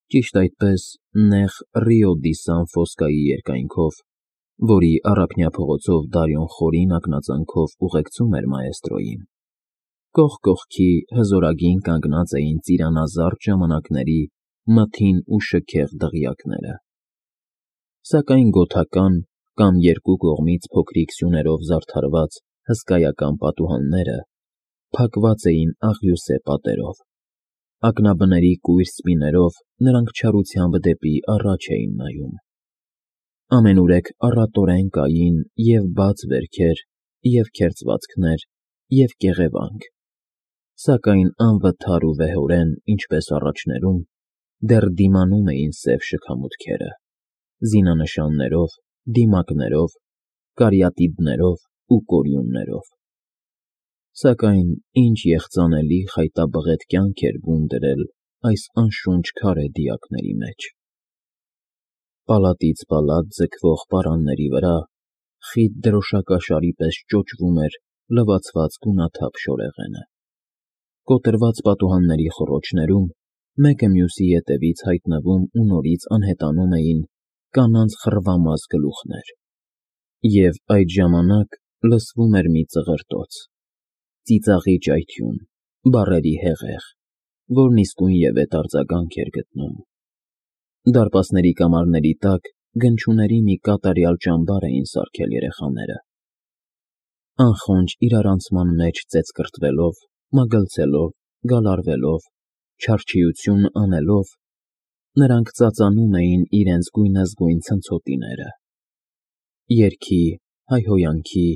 Ճիշտ այդպես նեղ Ռիո դի Սան Ֆոսկայի երկայնքով, որի առափնյա փողոցով Դարիոն խորին ակնածանքով ուղեկցում էր մաեստրոյին, կողք կողքի հզորագին կանգնած էին ծիրանազարդ ժամանակների մթին ու շքեղ դղյակները, սակայն գոթական կամ երկու կողմից փոքրիկ սյուներով զարդարված հսկայական պատուհանները փակված էին աղյուսե պատերով, ակնաբների կույր սպիներով նրանք չարությամբ դեպի առաջ էին նայում, ամենուրեք առատորեն կային և բաց վերքեր, և քերծվածքներ, և կեղևանք, սակայն անվթար ու վեհորեն, ինչպես առաջներում, դեռ դիմանում էին սև շքամուտքերը, զինանշաններով, դիմակներով, կարիատիդներով ու կորյուններով, սակայն ինչ եղծանելի խայտաբղետ կյանք էր բուն դրել այս անշունչ քարե դիակների մեջ. պալատից պալատ ձգվող պարանների վրա խիտ դրոշակաշարի պես ճոճվում էր լվացված գունաթափ շորեղենը, կոտրված պատուհանների խոռոչներում մեկը մյուսի ետևից հայտնվում ու նորից անհետանում էին կանանց խռվամազ գլուխներ, և այդ ժամանակ լսվում էր մի ծղրտոց, ծիծաղի ճայթյուն, բառերի հեղեղ, որն իսկույնևեթ արձագանք էր գտնում, դարպասների կամարների տակ գնչուների մի կատարյալ ճամբար էին սարքել երեխաները, անխոնջ իրարանցման մեջ ծեծկռտվելով, մագլցելով, գալարվելով, չարչիություն անելով, նրանք ծածանում էին իրենց գույնզգույն ցնցոտիները, երգի, հայհոյանքի,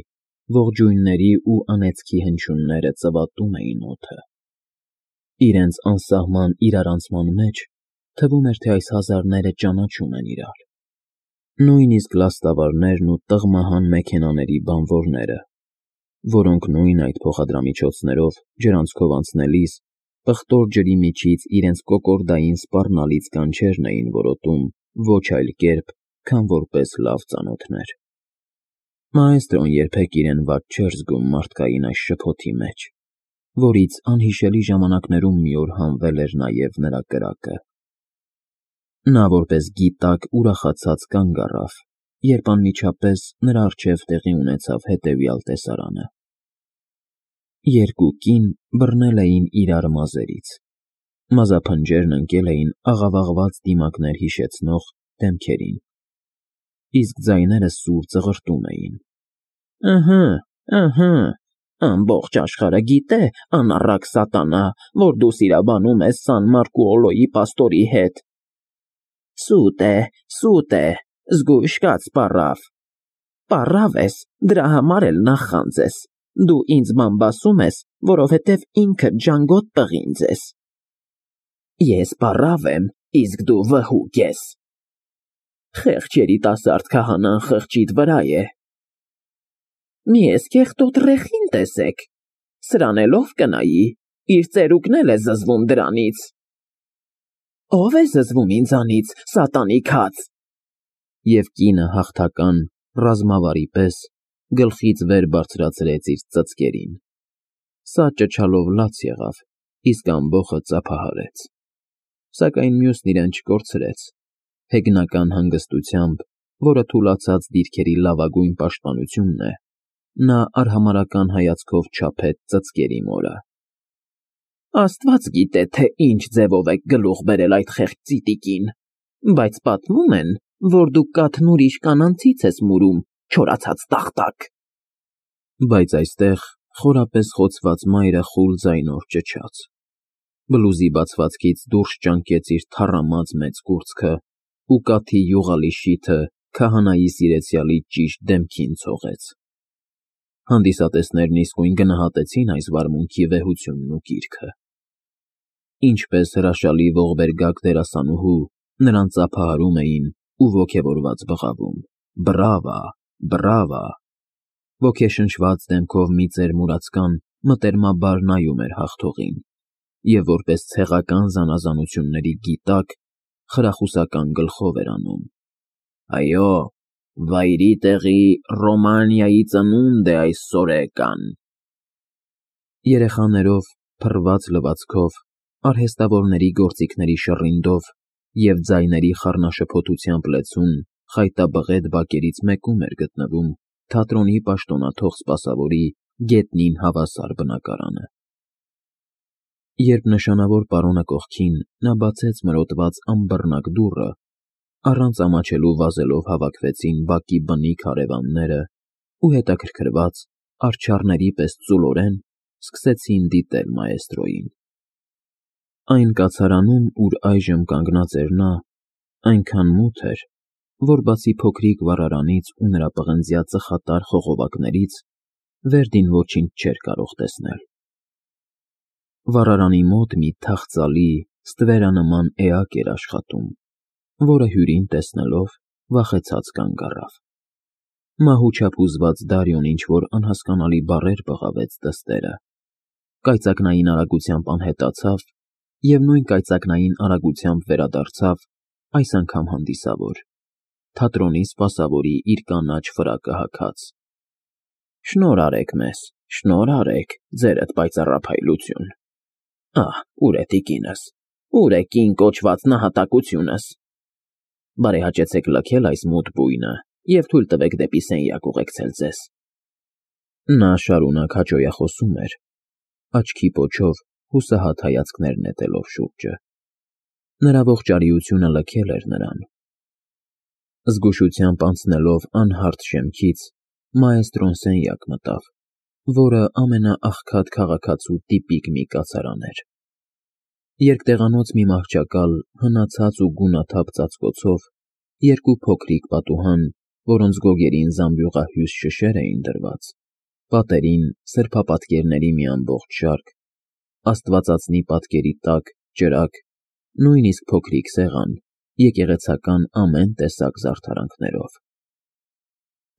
ողջույնների ու անեծքի հնչյունները ծվատում էին օդը, իրենց անսահման իրարանցման մեջ թվում էր, թե այս հազարները ճանաչում են իրար, նույնիսկ լաստավարներն ու տղմահան մեքենաների բանվորները, որոնք նույն այդ փոխադրամիջոցներով ջրանցքով անցնելիս պղտոր ջրի միջից իրենց կոկորդային սպառնալից կանչերն էին որոտում ոչ այլ կերպ, քան որպես լավ ծանոթներ։ Մաեստրոն երբեք իրեն վատ չէր զգում մարդկային այս շփոթի մեջ, որից անհիշելի ժամանակներում մի օր հանվել էր նաև նրա կրակը։ Նա որպես գիտակ ուրախացած կանգ առավ, երբ անմիջապես նրա առջև տեղի ունեցավ հետևյալ տեսարանը. երկու կին բռնել էին իրար մազերից, մազափնջերն ընկել էին աղավաղված դիմակներ հիշեցնող դեմքերին, իսկ ձայները սուր ծղրտում էին. Ըհը, ամբողջ աշխարհը գիտե, անառակ սատանա, որ դու սիրաբանում ես Սան Մարկուոլոյի պաստորի հետ։ Սուտ է, զգույշ կաց պառավ ես, դրա համար էլ նախանձ ես, դու ինձ բամբասում ես, որովհետև ինքդ ջանգոտ պղինձ ես։ Ես պառավ եմ, իսկ դու վհուկ ես։ Խեղճ երիտասարդ քահանան խղճիդ վրա է։ Մի էս կեղտոտ ռեխին տեսեք, սրան էլ ով կնայի, իր ծերուկն էլ է զզվում դրանից։ Ով է զզվում ինձանից, սատանի քած։ Եվ կինը հաղթական, ռազմավարի պես գլխից վեր բարձրացրեց իր ծծկերին, սա ճչալով լաց եղավ, իսկ ամբոխը ծափահարեց, սակայն մյուսն իրեն չկորցրեց, հեգնական հանգստությամբ, որը թուլացած դիրքերի լավագույն պաշտպանությունն է, նա արհամարհական հայացքով չափեց ծծկերի մորը։ Աստված գիտե, թե ինչ ձևով եք գլուխ բերել այդ խեղճ ծիտիկին, բայց պատմում են, որ դու կաթն ուրիշ կանանցից ես մուրում, չորացած տախտակ։ Բայց այստեղ խորապես խոցված մայրը խուլ ձայնով ճչաց, բլուզի բացվածքից դուրս ճանկեց իր թառամած մեծ կուրծքը ու կաթի յուղալի շիթը քահանայի սիրեցյալի ճիշտ դեմքին ցողեց։ Հանդիսատեսներն իսկույն գնահատեցին այս վարմունքի վեհությունն ու կիրքը։ Ինչպես հրաշալի ողբերգակ դերասանուհու, նրան ծափահարում էին ու ոգևորված բղավում. Բրավա։ Ոգեշնչված դեմքով մի ծեր մուրացկան մտերմաբար նայում էր հաղթողին և որպես ցեղական զանազանությունների գիտակ խրախուսական գլխով էր անում. Այո, վայրի տեղի Ռոմանիայի ծնունդ է այս սորեկան։ Երեխաներով, փռված լվացքով, արհեստավորների գործիքների շռինդով և ձայների խառնաշփոթությամբ լեցուն խայտաբղետ բակերից մեկում էր գտնվում թատրոնի պաշտոնաթող սպասավորի գետնին հավասար բնակարանը։ Երբ նշանավոր պարոնը կողքին, նա բացեց մրոտված անբռնակ դուռը, առանց ամաչելու վազելով հավաքվեցին բակի բնիկ հարևանները ու հետաքրքրված, արջառների պես ծուլորեն սկսեցին դիտել մաեստրոյին։ Այն կացարանում, ուր այժմ կանգնած էր նա, այնքան մութ էր, որ բացի փոքրիկ վառարանից ու նրա պղնձյա ծխատար խողովակներից, Վերդին ոչինչ չէր կարող տեսնել։ Վառարանի մոտ մի թախծալի, ստվերանման էակ էր աշխատում, որը Հյուրին տեսնելով վախեցած կանգ առավ։ Մահուչափ հուզված Դարիոն ինչ-որ անհասկանալի բառեր բղավեց դստերը, կայծակնային արագությամբ անհետացավ և նույն կայծակնային արագությամբ վերադարձավ, այս անգամ հանդիսավոր, թատրոնի սպասավորի իր կանաչ ֆրակը հագած։ Շնորհ արեք մեզ, շնորհ արեք, ձերդ պայծառափայլություն։ Ահ, ուր է տիկինս, ուր է կին կոչված նահատակությունս։ Բարեհաճեցեք լքել այս մութ բույնը և թույլ տվեք դեպի սենյակ ուղեկցել ձեզ։ Նա շարունակ հաճոյախոսում էր, աչքի պոչով հուսահատ հայացքներ նետելով շուրջը։ Նրա ողջարիությունը լքել էր նրան։ Զգուշությամբ անցնելով անհարթ շեմքից, մաեստրոն սենյակ մտավ, որը ամենաաղքատ քաղաքացու տիպիկ մի կացարան էր։ Երկտեղանոց մի մահճակալ, հնացած ու գունաթափ ծածկոցով, երկու փոքրիկ պատուհան, որոնց գոգերին զամբյուղահյուս շշեր էին դրված, պատերին սրբապատկերների մի ամբողջ շարք, աստվածածնի պատկերի տակ ճրագ, նույնիսկ փոքրիկ սեղան, եկեղեցական ամեն տեսակ զարդարանքներով։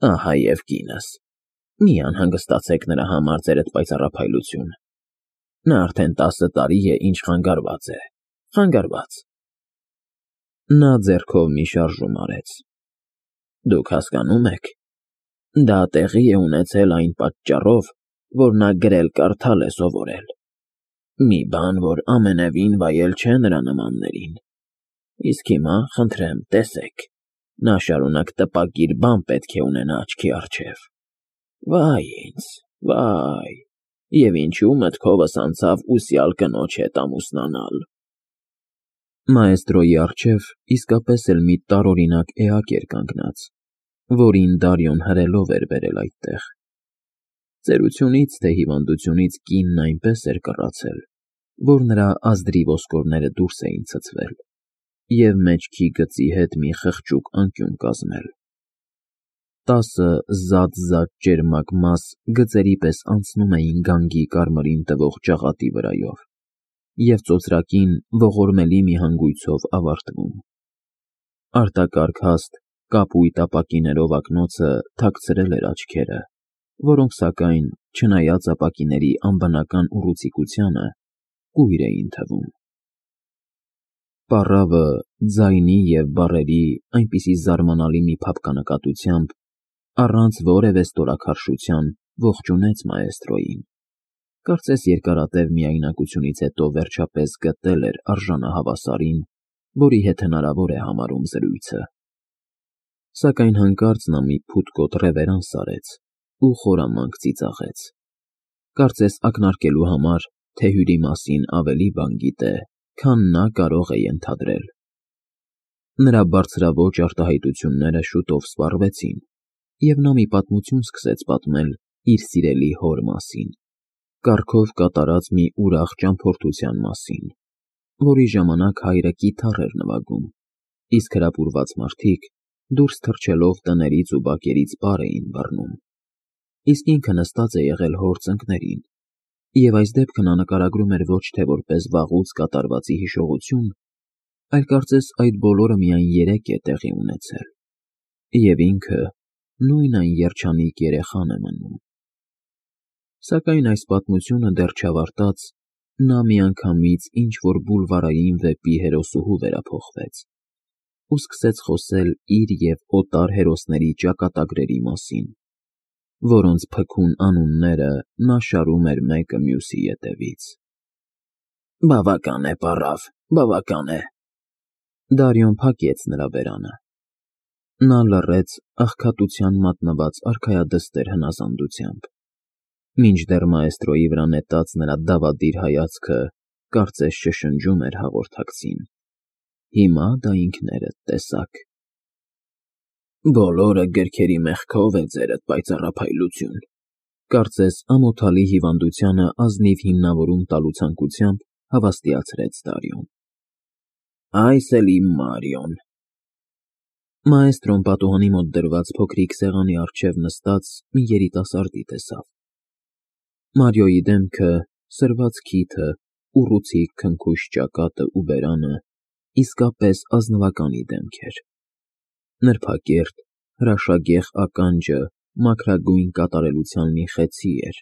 Ահա և կինս, մի անհանգստացեք նրա համար, ձերդ պայծառափայլություն, նա արդեն 10 տարի է, ինչ խանգարված է, խանգարված։ Նա ձեռքով մի շարժում արեց։ Դուք հասկանում եք, դա տեղի է ունեցել այն պատճառով, որ նա գրել-կարդալ է սովորել, մի բան, որ ամենևին վայել չէ նրա նմաններին։ Իսկ հիմա, խնդրեմ, տեսեք, նա շարունակ տպագիր բան պետք է ունենա աչքի առջև։ Վայ ինձ, վայ, և ինչու մտքովս անցավ ուսյալ կնոջ հետ ամուսնանալ։ Մաեստրոյի առջև իսկապես էլ մի տարօրինակ էակ էր կանգնած, որին Դարիոն հրելով էր բերել այդտեղ։ Ծերությունից թե հիվանդությունից կինն այնպես էր կռացել, որ նրա ազդրի ոսկորները դուրս էին ցցվել և մեջքի գծի հետ մի խղճուկ անկյուն կազմել։ 10 զատ ճերմակ մաս գծերի պես անցնում էին գանգի կարմրին տվող ճաղատի վրայով և ծոծրակին ողորմելի մի հանգույցով ավարտվում։ Արտակարգ հաստ, կապույտ ապակիներով ակնոցը թաքցրել էր աչքերը, որոնք, սակայն, չնայած ապակիների անբնական ուռուցիկությանը, կույր էին թվում։ Պառավը ձայնի և բառերի այնպիսի զարմանալի մի փափկանակատությամբ, առանց որևէ ստորաքարշության ողջունեց մաեստրոյին, կարծես երկարատև միայնակությունից հետո վերջապես գտել էր արժանահավասարին, որի հետ հնարավոր է համարում զրույցը։ Սակայն հանկարծ նա մի փութկոտ ռևերանս արեց ու խորամանկ ծիծաղեց, կարծես ակնարկելու համար, թե Հյուրի մասին ավելի բան գիտե, քան նա կարող է ենթադրել։ Նրա բարձրաոճ արտահայտությունները շուտով սպառվեցին, և նա մի պատմություն սկսեց պատմել իր սիրելի հոր մասին, կառքով կատարած մի ուրախ ճամփորդության մասին, որի ժամանակ հայրը կիթառ էր նվագում, իսկ հրապուրված մարդիկ, դուրս թռչելով տներից ու բակերից պար էին բռնում, իսկ ինքը նստած է եղել հոր ծնկներին, և այս դեպքը նա նկարագրում էր ոչ թե որպես վաղուց կատարվածի հիշողություն, այլ կարծես այդ բոլորը միայն երեկ է տեղի ունեցել, և ինքը նույն այն երջանիկ երեխան է մնում։ Սակայն այս պատմությունը դեռ չավարտած, նա միանգամից ինչ-որ բուլվարային վեպի հերոսուհու վերափոխվեց ու սկսեց խոսել իր և օտար հերոսների ճակատագրերի մասին, որոնց փքուն անունները նա շարում էր մեկը մյուսի ետևից։ Բավական է, պառավ, բավական է։ Դարիոն փակեց նրա բերանը։ Նա լռեց աղքատության մատնված արքայադստեր հնազանդությամբ, մինչդեռ մաեստրոյի վրա նետած նրա դավադիր հայացքը կարծես շշնջում էր հաղորդակցին. «Հիմա դա ինքներդ տեսաք»։ «Բոլորը գրքերի մեղքով է ձերդ պայծառափայլություն», կարծես ամոթալի հիվանդությանը ազնիվ հիմնավորում տալու ցանկությամբ հավաստիացրեց Դարիոն։ «Այս էլ իմ Մարիոն»։ Մաեստրոն պատուհանի մոտ դրված փոքրիկ սեղանի առջև նստած մի երիտասարդի տեսավ։ Մարիոյի դեմքը, սրված քիթը, ուռուցիկ քնքուշ ճակատը ու բերանը իսկապես ազնվականի դեմք էր։ Նրբակերտ, հրաշագեղ ականջը մաքրագույն կատարելության մի խեցի էր,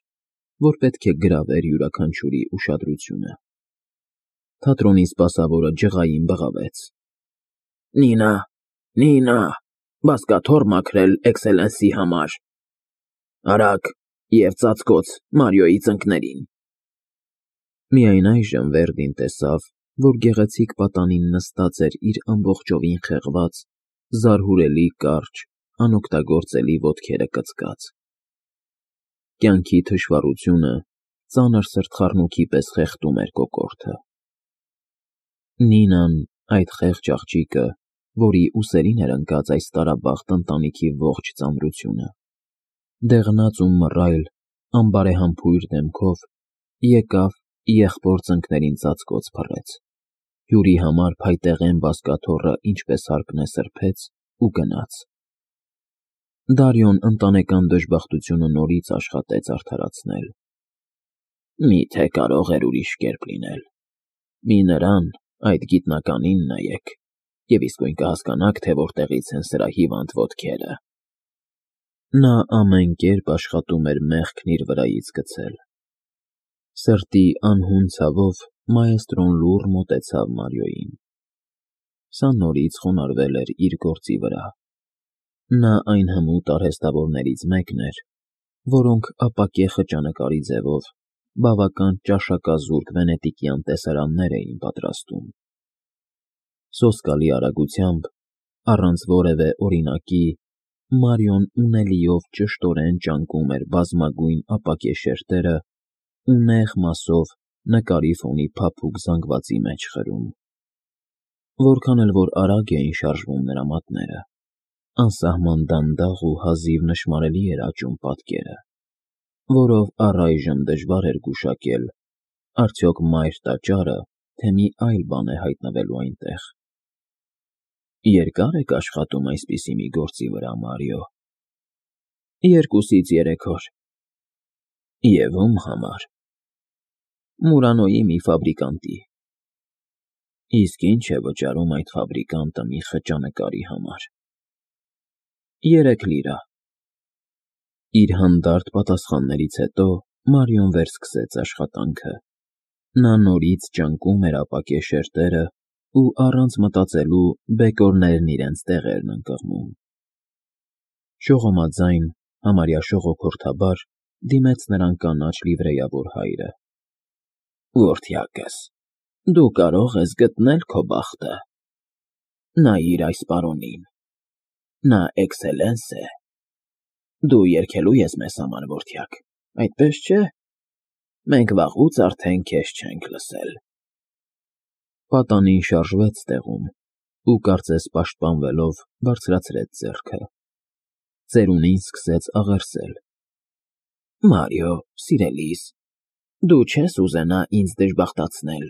որ պետք է գրավեր յուրաքանչյուրի ուշադրությունը։ Թատրոնի սպասավորը ջղային բղավեց. «Նինա, Նինա, բազկաթոռ մաքրել էքսելենսի համար։ Արագ և ծածկոց Մարիոյի ծնկներին»։ Միայն այժմ Վերդին տեսավ, որ գեղեցիկ պատանին նստած էր իր ամբողջովին խեղված, զարհուրելի կարճ, անօգտագործելի ոտքերը կծկած։ Կյանքի թշվառությունը ծանր սրտխառնոքի պես խեղդում էր կոկորդը։ Նինան, այդ խեղճ աղջիկը, որի ուսերին էր ընկած այս տարաբախտ ընտանիքի ողջ ծանրությունը, դեղնած ու մռայլ, անբարեհամբույր դեմքով եկավ եղբոր ծնկներին ծածկոց փռեց, հյուրի համար փայտեղեն բազկաթոռը ինչպես հարկն է սրբեց ու գնաց։ Դարիոն ընտանեկան դժբախտությունը նորից աշխատեց արդարացնել։ Միթե կարող էր ուրիշ կերպ լինել։ Մի նրան, այդ գիտնականին նայեք, և իսկույն կհասկանաք, թե որտեղից են սրա հիվանդ ոտքերը։ Նա ամեն կերպ աշխատում էր մեղքն իր վրայից գցել։ Սրտի անհուն ցավով մաեստրոն լուռ մոտեցավ Մարիոյին։ Սա նորից խոնարհվել էր իր գործի վրա։ Նա այն հմուտ արհեստավորներից մեկն էր, որոնք ապակե խճանկարի ձևով բավական ճաշակազուրկ վենետիկյան տեսարաններ էին պատրաստում։ Սոսկալի արագությամբ, առանց որևէ օրինակի, Մարիոն ունելիով ճշտորեն ճանկում էր բազմագույն ապակե շերտերը ու նեղ մասով նկարի ֆոնի փափուկ զանգվածի մեջ խրում։ Որքան էլ որ արագ էին շարժվում նրա մատները, անսահման դանդաղ ու հազիվ նշմարելի էր աճում պատկերը, որով առայժմ դժվար էր գուշակել արդյոք մայր տաճարը, թե մի այլ բան է հայտնվելու այնտեղ։ Երկա՞ր եք աշխատում այսպիսի մի գործի վրա, Մարիո։ 2-3 օր։ Եվ ում համար։ Մուրանոյի մի ֆաբրիկանտի։ Իսկ ինչ է վճարում այդ ֆաբրիկանտը մի խճանկարի համար։ 3 լիրա։ Իր հանդարտ պատասխաններից հետո Մարիոն վերսկսեց աշխատանքը։ Նա նորից ճանկում էր ապակե շերտերը ու առանց մտածելու բեկորներն իրենց տեղերն ընկղմում։ Շողոմաձայն, համարյա շողոքորթաբար դիմեց նրան կանաչ լիվրեյավոր հայրը։ Որդյակս, դու կարող ես գտնել քո բախտը։ Նայիր այս պարոնին։ Նա էքսելենս է։ Դու երգելու ես մեզ համար, որդյակ, այդպես չէ։ Մենք վաղուց արդեն քեզ չենք լսել։ Պատանին շարժվեց տեղում ու կարծես պաշտպանվելով բարձրացրեց ձեռքը։ Ծերունին սկսեց աղերսել։ Մարիո, սիրելիս, դու չես ուզենա ինձ դժբախտացնել։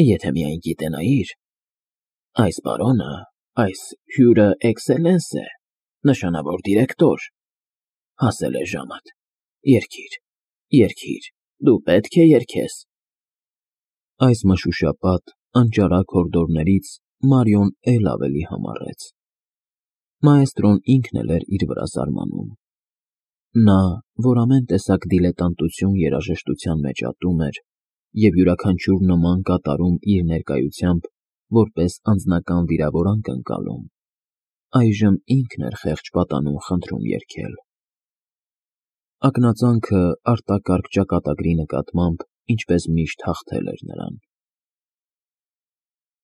Եթե միայն գիտենայիր, այս պարոնը, այս հյուրը էքսելենս է, նշանավոր դիրեկտոր։ Հասել է ժամդ։ Երգիր, երգիր, դու պետք է երգես։ Այս մշուշապատ, անճարակ հորդորներից Մարիոն էլ ավելի համառեց։ Մաեստրոն ինքն էլ էր իր վրա զարմանում։ Նա, որ ամեն տեսակ դիլետանտություն երաժշտության մեջ ատում էր և յուրաքանչյուր նման կատարում իր ներկայությամբ որպես անձնական վիրավորանք ընկալում, այժմ ինքն էր խեղճ պատանում խնդրում երգել։ Ակնածանքը արտակարգ ճակատագրի նկատմամբ ինչպես միշտ հաղթել էր նրան։